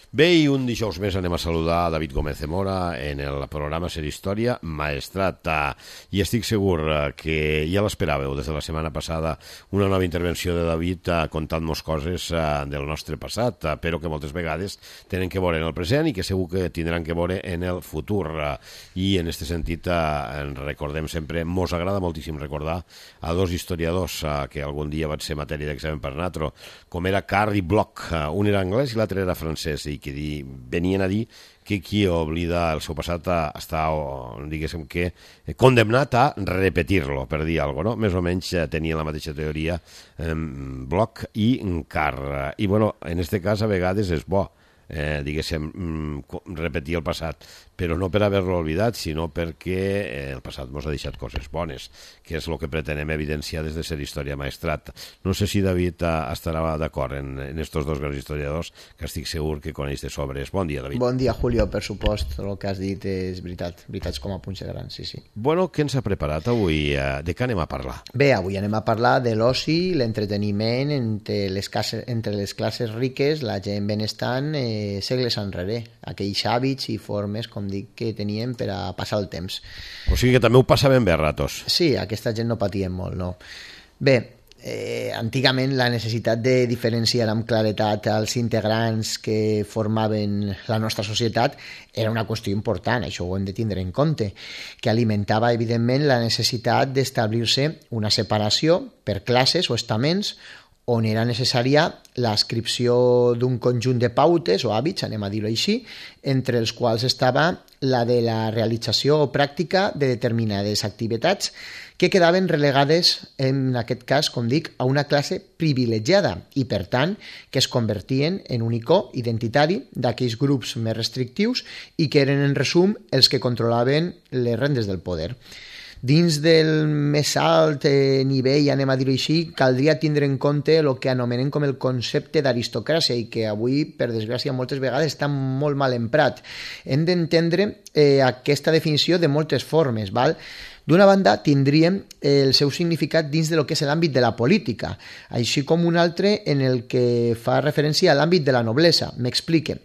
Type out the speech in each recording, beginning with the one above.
Bé, i un dijous més anem a saludar a David Gómez Zamora en el programa Ser Història Maestrat. I estic segur que ja l'esperàveu des de la setmana passada una nova intervenció de David contant-nos coses del nostre passat, però que moltes vegades tenen que veure en el present i que segur que tindran que veure en el futur. I en aquest sentit recordem sempre, mos agrada moltíssim recordar a dos historiadors que algun dia van ser matèria d'examen per natro, com era Carr i Bloch. Un era anglès i l'altre era francès, i que venien a dir que qui oblida el seu passat està, diguéssim que, condemnat a repetir-lo, per dir alguna cosa, no? Més o menys tenien la mateixa teoria Bloch i Carr. I, bueno, en aquest cas, a vegades és bo, diguéssim, repetir el passat, però no per haver-lo oblidat, sinó perquè el passat ens ha deixat coses bones, que és el que pretenem evidenciar des de Ser Història Maestrat. No sé si David estarà d'acord en estos dos grans historiadors, que estic segur que coneix de sobres. Bon dia, David. Bon dia, Julio, per supost. El que has dit és veritat, veritats com a punxa gran, sí, sí. Bueno, què ens ha preparat avui? De què anem a parlar? Bé, avui anem a parlar de l'oci, l'entreteniment entre les classes riques, la gent benestant, segles enrere, aquells hàbits i formes, com dic, que teníem per a passar el temps. O sigui que també ho passaven bé a ratos. Sí, aquesta gent no patien molt, no. Bé, antigament la necessitat de diferenciar amb claretat els integrants que formaven la nostra societat era una qüestió important, això ho hem de tindre en compte, que alimentava evidentment la necessitat d'establir-se una separació per classes o estaments on era necessària l'adscripció d'un conjunt de pautes o hàbits, anem a dir-ho així, entre els quals estava la de la realització o pràctica de determinades activitats que quedaven relegades, en aquest cas, com dic, a una classe privilegiada i, per tant, que es convertien en un icó identitari d'aquells grups més restrictius i que eren, en resum, els que controlaven les rendes del poder. Dins del més alt nivell, anem a dir-ho així, caldria tindre en compte el que anomenem com el concepte d'aristocràcia i que avui, per desgràcia, moltes vegades està molt mal emprat. Hem d'entendre aquesta definició de moltes formes, val? D'una banda, tindríem el seu significat dins de lo que és l'àmbit de la política, així com un altre en el que fa referència a l'àmbit de la noblesa. M'explique.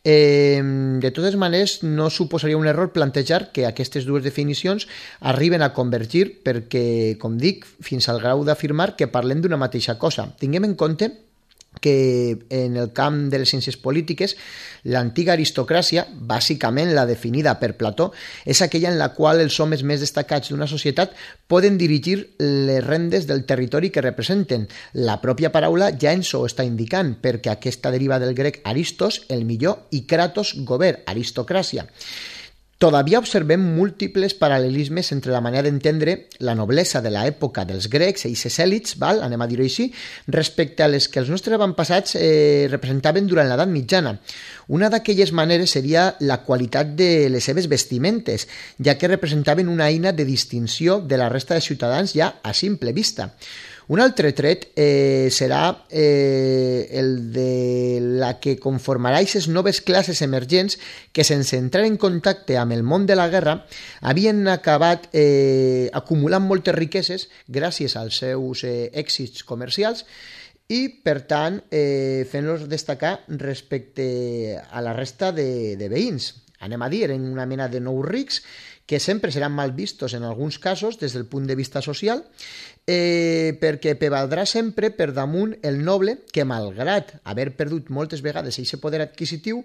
De totes maneres, no suposaria un error plantejar que aquestes dues definicions arriben a convergir perquè, com dic, fins al grau d'afirmar que parlem d'una mateixa cosa. Tinguem en compte que en el camp de les ciències polítiques l'antiga aristocràcia, bàsicament la definida per Plató, és aquella en la qual els homes més destacats d'una societat poden dirigir les rendes del territori que representen. La pròpia paraula ja ens ho està indicant, perquè aquesta deriva del grec aristos, el millor, i kratos, govern, aristocràcia. Todavía observem múltiples paral·lelismes entre la manera d'entendre la noblesa de l'època dels grecs i ses èlits, anem a dir-ho així, respecte a les que els nostres avantpassats representaven durant l'edat mitjana. Una d'aquelles maneres seria la qualitat de les seves vestimentes, ja que representaven una eina de distinció de la resta de ciutadans ja a simple vista. Un altre tret serà el de la que conformarà aquestes noves classes emergents que, sense entrar en contacte amb el món de la guerra, havien acabat acumulant moltes riqueses gràcies als seus èxits comercials i, per tant, fent-los destacar respecte a la resta de veïns. Anem a dir, eren una mena de nous rics que sempre seran mal vistos en alguns casos des del punt de vista social, perquè prevaldrà sempre per damunt el noble que, malgrat haver perdut moltes vegades aquest poder adquisitiu,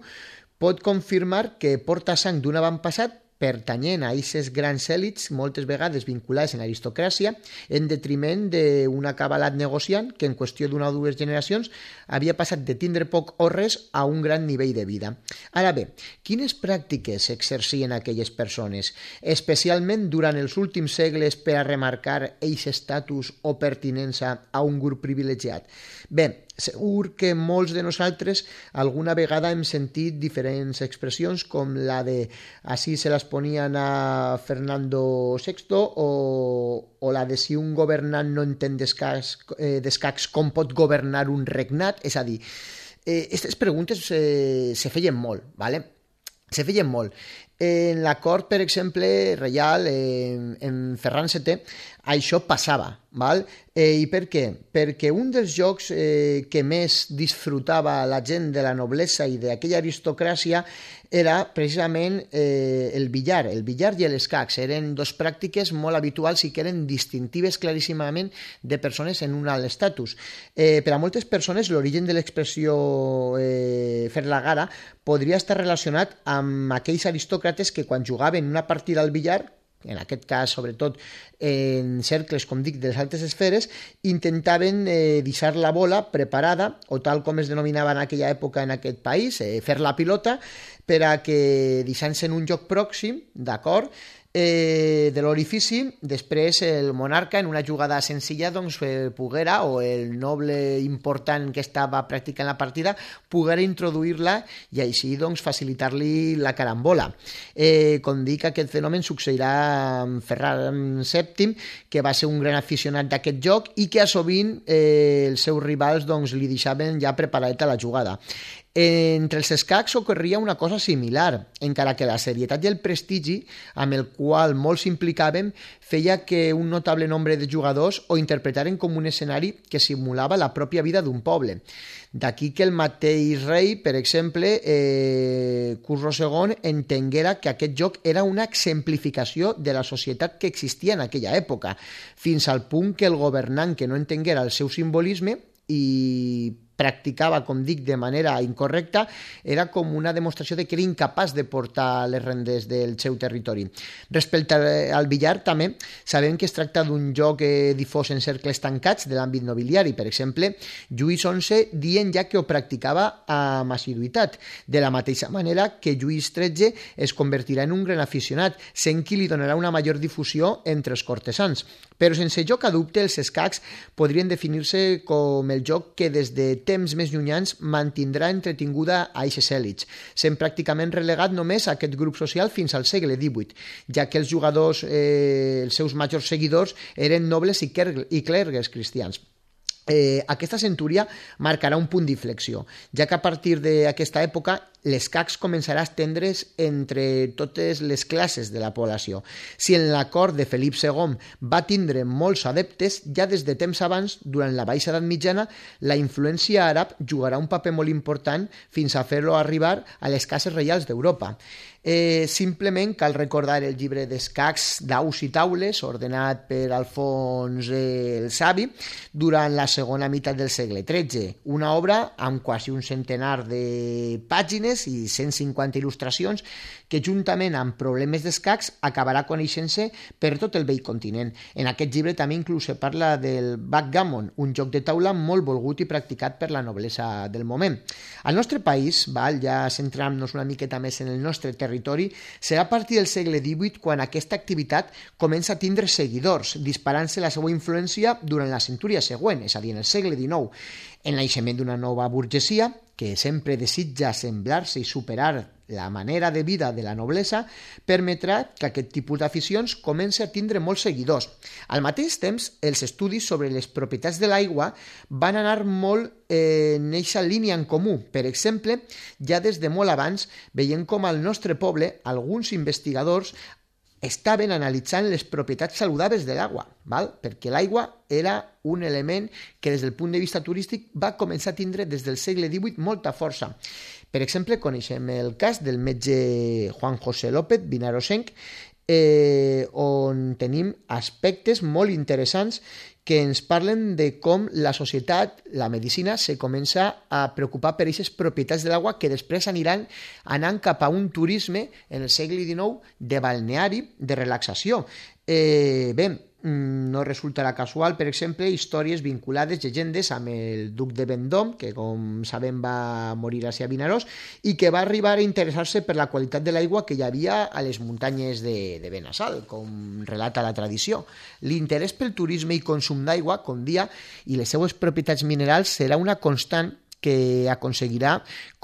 pot confirmar que porta sang d'un avantpassat pertanyent a aquestes grans èlits, moltes vegades vinculades a l'aristocràcia, en detriment d'un acabalat negociant que en qüestió d'una o dues generacions havia passat de tindre poc o res a un gran nivell de vida. Ara bé, quines pràctiques exercien aquelles persones, especialment durant els últims segles, per a remarcar aquest estatus o pertinença a un grup privilegiat? Bé, segur que molts de nosaltres alguna vegada hem sentit diferents expressions com la de «así se las ponían a Fernando VI» o la de «si un governant no entén d'escacs, com pot governar un regnat?» És a dir, aquestes preguntes se feien molt, ¿vale? se feien molt. En la cort, per exemple, reial, en Ferran VII, això passava, val? I per què? Perquè un dels jocs que més disfrutava la gent de la noblesa i d'aquella aristocràcia era precisament el billar i l'escacs. Eren dos pràctiques molt habituals i que eren distintives claríssimament de persones en un alt estatus. Per a moltes persones l'origen de l'expressió fer la gara podria estar relacionat amb aquells aristòcrates que quan jugaven una partida al billar, en aquest cas, sobretot, en cercles, com dic, de les altes esferes, intentaven deixar la bola preparada, o tal com es denominava en aquella època en aquest país, fer la pilota, per a que, deixant-se en un joc pròxim, d'acord, de l'orifici, després el monarca en una jugada senzilla doncs, poguera, o el noble important que estava practicant la partida, poguera introduir-la i així doncs, facilitar-li la carambola. Com dic, aquest fenomen succeirà amb Ferran VII, que va ser un gran aficionat d'aquest joc i que a sovint els seus rivals doncs, li deixaven ja preparadeta la jugada. Entre els escacs ocorria una cosa similar, encara que la serietat i el prestigi amb el qual molts s'implicaven feia que un notable nombre de jugadors ho interpretaren com un escenari que simulava la pròpia vida d'un poble. D'aquí que el mateix rei, per exemple, Khusro II, entenguera que aquest joc era una exemplificació de la societat que existia en aquella època, fins al punt que el governant que no entenguera el seu simbolisme i practicava, com dic, de manera incorrecta, era com una demostració de que era incapaç de portar les rendes del seu territori. Respecte al billar, també sabem que es tracta d'un joc difós en cercles tancats de l'àmbit nobiliari. Per exemple, Lluís XI dient ja que ho practicava amb assiduïtat, de la mateixa manera que Lluís XIII es convertirà en un gran aficionat, sent qui li donarà una major difusió entre els cortesans. Però sense joc a dubte, els escacs podrien definir-se com el joc que des de temps més llunyans mantindrà entretinguda a eixes èlits, sent pràcticament relegat només a aquest grup social fins al segle XVIII, ja que els jugadors, els seus majors seguidors, eren nobles i clergues cristians. Aquesta centúria marcarà un punt d'inflexió, ja que a partir d'aquesta època l'escacs començarà a estendre's entre totes les classes de la població. Si en la cort de Felip II va tindre molts adeptes, ja des de temps abans, durant la Baixa Edat Mitjana, la influència àrab jugarà un paper molt important fins a fer-lo arribar a les cases reials d'Europa. Simplement cal recordar el llibre d'escacs d'Aus i Taules, ordenat per Alfons el Savi, durant la segona meitat del segle XIII, una obra amb quasi un centenar de pàgines i 150 il·lustracions que juntament amb problemes d'escacs acabarà coneixent-se per tot el vell continent. En aquest llibre també inclús se parla del backgammon, un joc de taula molt volgut i practicat per la noblesa del moment. Al nostre país, ja centrant-nos una miqueta més en el nostre territori, serà a partir del segle XVIII quan aquesta activitat comença a tindre seguidors, disparant-se la seva influència durant la centúria següent, és a dir, en el segle XIX, en naixement d'una nova burgesia que sempre desitja semblar-se i superar la manera de vida de la noblesa, permetrà que aquest tipus d'aficions comenci a tindre molts seguidors. Al mateix temps, els estudis sobre les propietats de l'aigua van anar molt en aquesta línia en comú. Per exemple, ja des de molt abans, veiem com al nostre poble alguns investigadors estaven analitzant les propietats saludables de l'aigua, perquè l'aigua era un element que des del punt de vista turístic va començar a tindre des del segle XVIII molta força. Per exemple, coneixem el cas del metge Juan José López Vinarosenc, on tenim aspectes molt interessants que ens parlen de com la societat, la medicina, se comença a preocupar per aquestes propietats de l'aigua que després aniran anant cap a un turisme en el segle XIX de balneari, de relaxació. No resultarà casual, per exemple, històries vinculades, llegendes, amb el duc de Vendôme, que com sabem va morir a Vinaròs, i que va arribar a interessar-se per la qualitat de l'aigua que hi havia a les muntanyes de Benassal, com relata la tradició. L'interès pel turisme i consum d'aigua, com dia, i les seues propietats minerals serà una constant que aconseguirà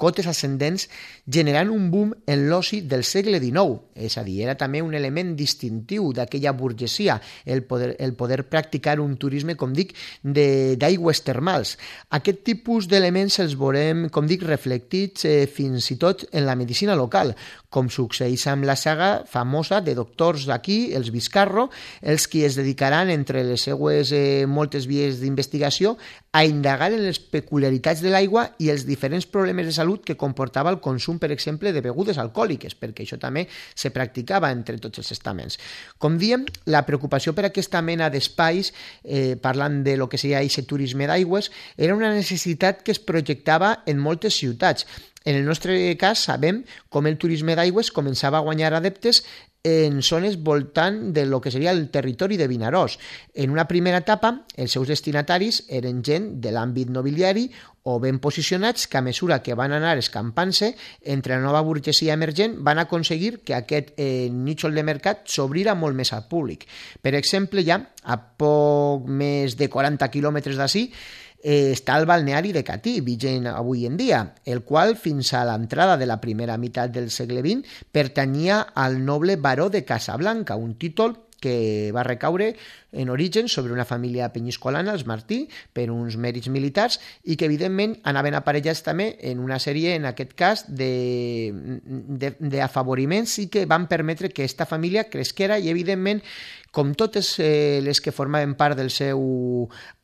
cotes ascendents generant un boom en l'oci del segle XIX. És a dir, era també un element distintiu d'aquella burgesia, el poder practicar un turisme, com dic, d'aigües termals. Aquest tipus d'elements els veurem, com dic, reflectits fins i tot en la medicina local, com succeeix amb la saga famosa de doctors d'aquí, els Vizcarro, els qui es dedicaran, entre les seues moltes vies d'investigació, a indagar en les peculiaritats de l'aigua i els diferents problemes de salut que comportava el consum, per exemple, de begudes alcohòliques, perquè això també se practicava entre tots els estaments. Com diem, la preocupació per aquesta mena d'espais, parlant de lo que seria aquest turisme d'aigües, era una necessitat que es projectava en moltes ciutats. En el nostre cas sabem com el turisme d'aigües començava a guanyar adeptes en zones voltant de lo que seria el territori de Vinaròs. En una primera etapa, els seus destinataris eren gent de l'àmbit nobiliari o ben posicionats que a mesura que van anar escampant-se entre la nova burgesia emergent van aconseguir que aquest nítxol de mercat s'obrira molt més al públic. Per exemple, ja a poc més de 40 quilòmetres d'ací, està el balneari de Catí, vigent avui en dia, el qual fins a l'entrada de la primera meitat del segle XX pertanyia al noble baró de Casablanca, un títol que va recaure en origen sobre una família penyiscolana, els Martí, per uns mèrits militars i que evidentment anaven aparellats també en una sèrie, en aquest cas, d'afavoriments i que van permetre que aquesta família cresquera i evidentment, com totes les que formaven part del seu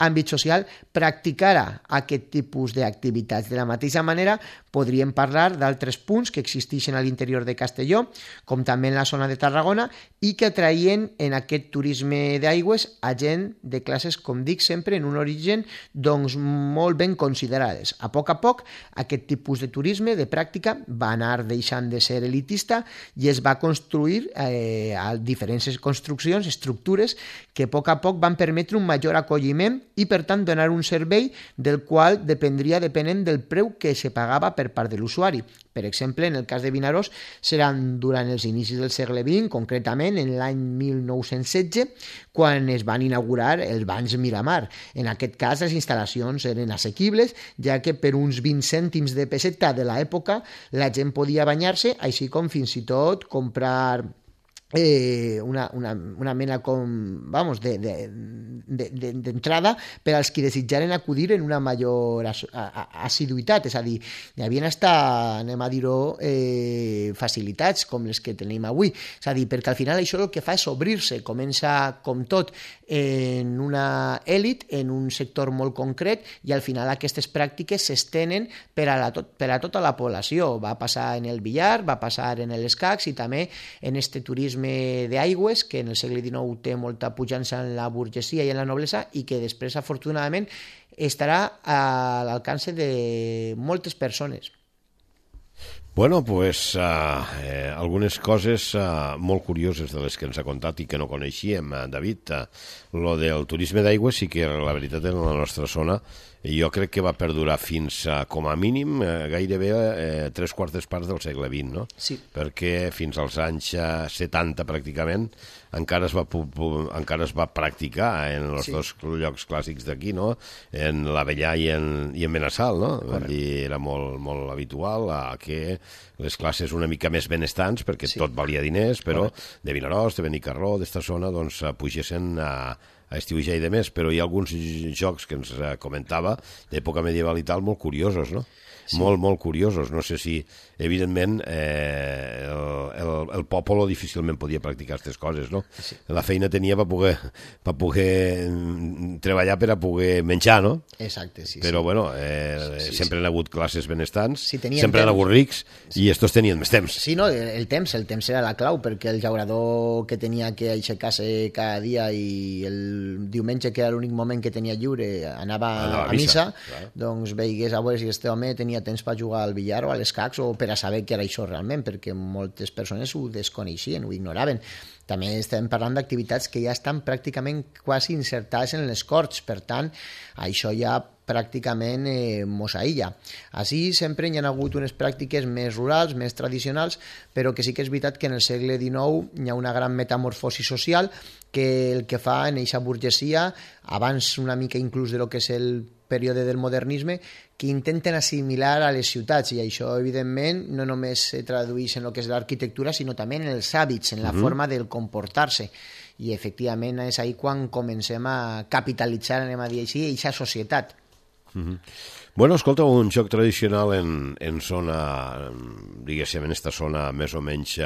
àmbit social, practicara aquest tipus d'activitats. De la mateixa manera, podríem parlar d'altres punts que existeixen a l'interior de Castelló, com també en la zona de Tarragona, i que atraïen en aquest turisme d'aigües a gent de classes, com dic sempre, en un origen doncs, molt ben considerades. A poc, aquest tipus de turisme, de pràctica, va anar deixant de ser elitista i es va construir a diferents construccions, estructures que a poc van permetre un major acolliment i, per tant, donar un servei del qual dependria depenent del preu que se pagava per part de l'usuari. Per exemple, en el cas de Vinaròs, seran durant els inicis del segle XX, concretament en l'any 1916, quan es van inaugurar els banys Miramar. En aquest cas, les instal·lacions eren assequibles, ja que per uns 20 cèntims de peseta de l'època la gent podia banyar-se, així com fins i tot comprar una mena com, vamos, d'entrada per als qui desitjaren acudir en una major assiduïtat, és a dir, hi havia hasta, anem a dir-ho, facilitats com les que tenim avui, és a dir, perquè al final això el que fa és obrir-se, comença com tot en una èlit, en un sector molt concret i al final aquestes pràctiques s'estenen per a tota la població. Va passar en el billar, va passar en l'escacs i també en este turisme d'aigües que en el segle XIX té molta pujança en la burgesia i en la noblesa i que després afortunadament estarà a l'alcance de moltes persones. Bueno, pues algunes coses molt curioses de les que ens ha contat i que no coneixíem, David. Lo del turisme d'aigües sí que la veritat en la nostra zona jo crec que va perdurar fins a, com a mínim, gairebé 3/4 parts del segle XX, no? Sí. Perquè fins als anys 70 pràcticament encara es va practicar en els dos llocs clàssics d'aquí, no? En l'Avellà i en Benassal, no? Dir, era molt habitual que les classes una mica més benestants, perquè tot valia diners, però de Vinaròs, de Benicarló, d'esta zona, doncs pugessin a estiujar i de més, però hi ha alguns jocs que ens comentava d'època medieval i tal molt curiosos, no? Sí. Molt curiosos. No sé si, evidentment, el poble difícilment podia practicar aquestes coses, no? Sí. La feina tenia per poder treballar per a poder menjar, no? Exacte, sí. Però, bueno, sempre han hagut classes benestants, sempre han hagut rics, i estos tenien més temps. Sí, no, el temps era la clau, perquè el llaurador que tenia que aixecar-se cada dia i el diumenge, que era l'únic moment que tenia lliure, anava a missa, doncs veigués a veure si este home tenia temps per jugar al billar o a l'escacs o per a saber què era això realment, perquè moltes persones ho desconeixien, ho ignoraven. També estem parlant d'activitats que ja estan pràcticament quasi insertades en les corts, per tant, això ja pràcticament mos aïlla. Així sempre hi ha hagut unes pràctiques més rurals, més tradicionals, però que sí que és veritat que en el segle XIX hi ha una gran metamorfosi social que el que fa en eixa burgesia, abans una mica inclús de lo que és el període del modernisme, que intenten assimilar a les ciutats, i això, evidentment, no només se tradueix en el que és l'arquitectura, sinó també en els hàbits, en la forma del comportar-se. I, efectivament, és ahí quan comencem a capitalitzar, anem a dir així, aquesta societat. Bueno, escolta, un joc tradicional en zona, diguéssim, en esta zona més o menys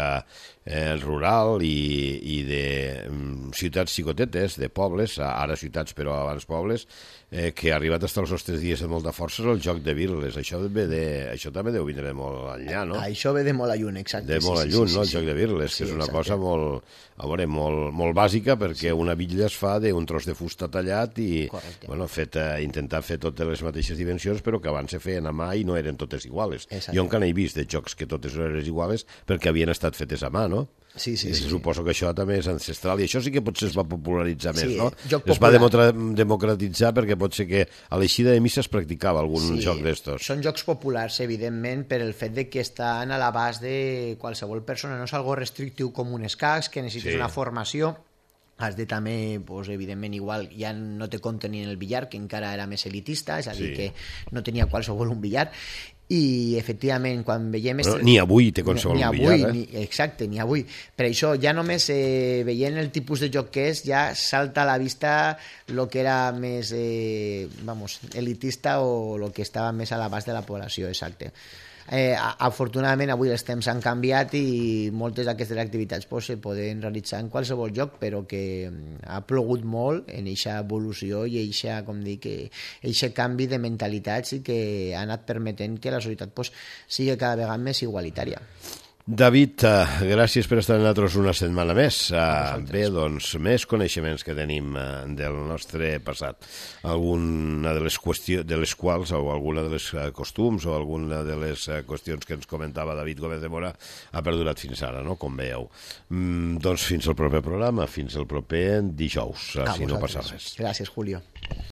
rural i de ciutats xicotetes, de pobles, ara ciutats però abans pobles, que ha arribat fins als nostres dies amb molta força, és el joc de birles. Això també deu vindre molt enllà, no? Això ve de molt lluny, exacte. De molt lluny, no? El joc de birles, que és una cosa molt bàsica, perquè una bitlla es fa d'un tros de fusta tallat i intentar fer totes les mateixes dimensions, però que abans se feien a mà i no eren totes iguales. Jo encara he vist de jocs que totes eren iguales perquè havien estat fetes a mà, no? Sí. Suposo que això també és ancestral i això sí que potser es va popularitzar més, no? Es va democratitzar perquè pot ser que a l'eixida de missa es practicava algun joc d'estos. Són jocs populars, evidentment, per el fet de que estan a l'abast de qualsevol persona. No és algo restrictiu com un escacs, que necessites una formació. Has de també, evidentment, igual ja no te compten ni en el billar, que encara era més elitista, és a dir, que no tenia qualsevol un billar. I, efectivament, quan veiem... Ni avui té qualsevol un billar, Exacte, ni avui. Per això, ja només veient el tipus de joc que és, ja salta a la vista el que era més elitista o el que estava més a l'abast de la població, exacte. Afortunadament avui els temps han canviat i moltes d'aquestes activitats se poden realitzar en qualsevol lloc, però que ha plogut molt en aquesta evolució i aquest canvi de mentalitats i que ha anat permetent que la societat sigui cada vegada més igualitària. David, gràcies per estar amb nosaltres una setmana més. Bé, doncs, més coneixements que tenim del nostre passat. Alguna de les quals, o alguna de les costums, o alguna de les qüestions que ens comentava David Gómez de Mora ha perdurat fins ara, no?, com veieu. Doncs fins al proper programa, fins al proper dijous, si no passa res. Gràcies, Julio.